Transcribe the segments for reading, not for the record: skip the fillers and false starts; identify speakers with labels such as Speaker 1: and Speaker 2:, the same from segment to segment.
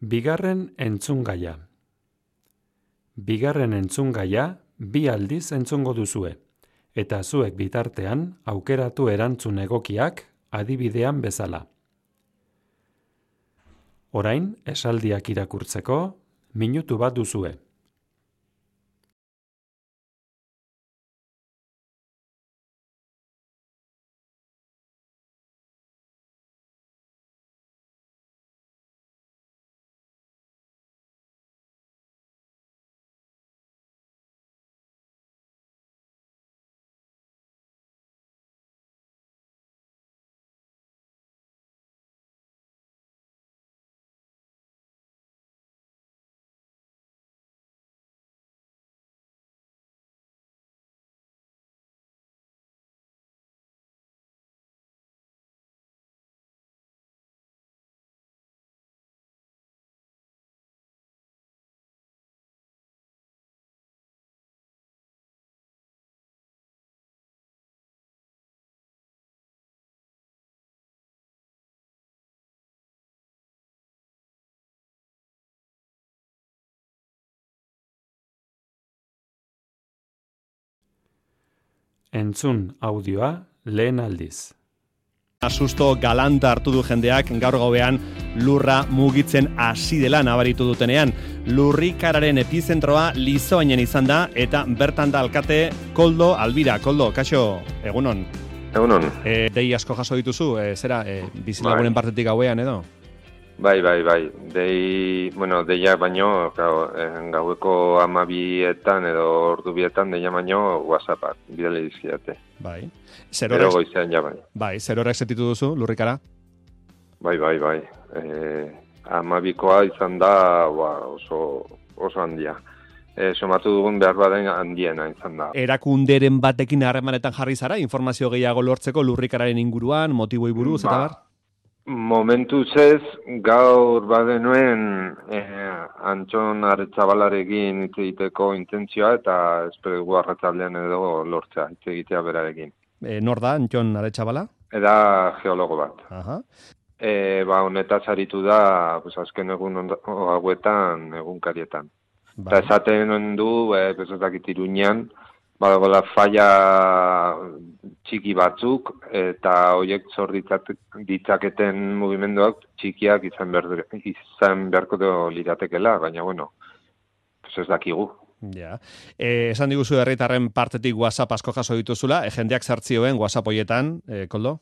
Speaker 1: Bigarren entzungaia. Bigarren entzungaia 2 aldiz entzungo duzue, eta zuek bitartean aukeratu erantzun egokiak adibidean bezala. Orain, esaldiak irakurtzeko, minutu bat duzue. Entzun audioa lehen aldiz.
Speaker 2: Susto galanta hartu du jendeak gaur gauean lurra mugitzen hasi dela nabaritu dutenean. Lurrikararen epizentroa Lizoainen izan da eta bertan da alkate Koldo Albira. Koldo, kaixo, egunon.
Speaker 3: Egunon.
Speaker 2: Dei asko jaso dituzu, bizilagunen partetik gauean edo?
Speaker 3: Bai. Deia baino, gaueko 12etan edo ordu 2etan deia baino WhatsAppak bidali dizkiate.
Speaker 2: Bai.
Speaker 3: Gero goizean ja bai.
Speaker 2: Bai, zer horrek sentitu duzu, lurrikara?
Speaker 3: Bai. 12koa izan da oso handia. Somatu dugun behar baden handiena izan da.
Speaker 2: Erakunderen batekin harremanetan jarri zara, informazio gehiago lortzeko lurrikararen inguruan, motiboi buruz, eta bar?
Speaker 3: Momentuz ez, gaur badenuen Antxon Aretzabalarekin hitz egiteko intentzioa eta espero dugu arratsaldean edo lortzea hitz egitea berarekin.
Speaker 2: Nor da Antxon Aretzabala?
Speaker 3: Eda geologo bat.
Speaker 2: Aha.
Speaker 3: Honetaz aritu da azken egun hauetan egunkarietan. Eta esaten du, bezazakit Iruñean, badagoela falla txiki batzuk, eta horiek zor ditzaketen mugimenduak txikiak izan beharko liratekela, baina ez dakigu.
Speaker 2: Ja. Esan diguzu herritarren partetik WhatsApp asko jaso dituzula, jendeak zartzioen WhatsApp horietan, Koldo?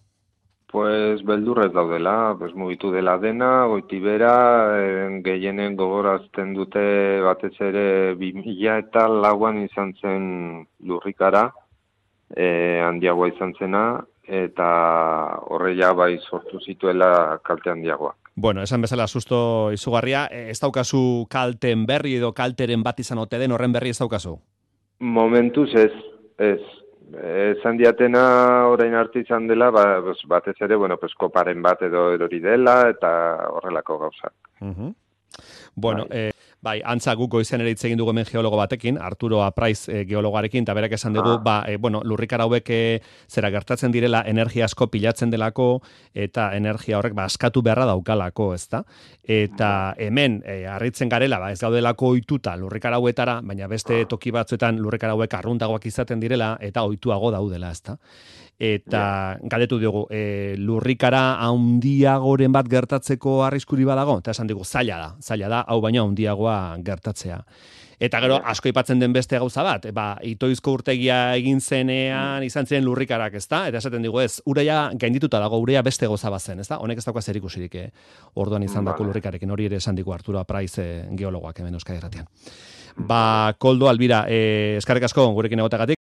Speaker 3: Beldurrez daudela, mugitu dela dena, goitibera, gehienen gogorazten dute batez ere 2004an izan zen lurrikara, handiagoa izan zena, eta horreia bai sortu zituela kalte handiagoak.
Speaker 2: Bueno, esan bezala susto izugarria, ez daukazu kalten berri edo kalteren bat izan ote den horren berri ez daukazu?
Speaker 3: Momentuz ez. Esan diatena orain arte izan dela, batez ere, koparen bat edo erori dela, eta horrelako gauzak.
Speaker 2: Bueno, bai, antza guk goizen ere hitz egin dugu hemen geologo batekin, Arturo Apraiz geologarekin, eta berak esan dugu, lurrikara hauek zera gertatzen direla, energia asko pilatzen delako, eta energia horrek askatu beharra daukalako, ezta? Eta hemen, harritzen garela, ez gaudelako ohituta lurrikara hauetara, baina beste toki batzuetan lurrikara hauek arruntagoak izaten direla, eta ohituago daudela, ezta? Eta galdetu dugu, lurrikara handiagoren bat gertatzeko arriskuri badago? Eta esan dugu, zaila da, hau baino handiagoa gertatzea. Eta gero, asko aipatzen den beste gauza bat, Itoizko urtegia egin zenean izan ziren lurrikarak, ezta? Eta esaten dugu ez, ureia gaindituta dago, ureia beste gauza bat zen, ezta? Honek ez dauka zerikusirik, orduan izan dako lurrikarekin, hori ere esan digu Arturo Apraiz geologoak hemen Euskadi Irratian. Koldo Albira, eskerrik asko gurekin egotagatik.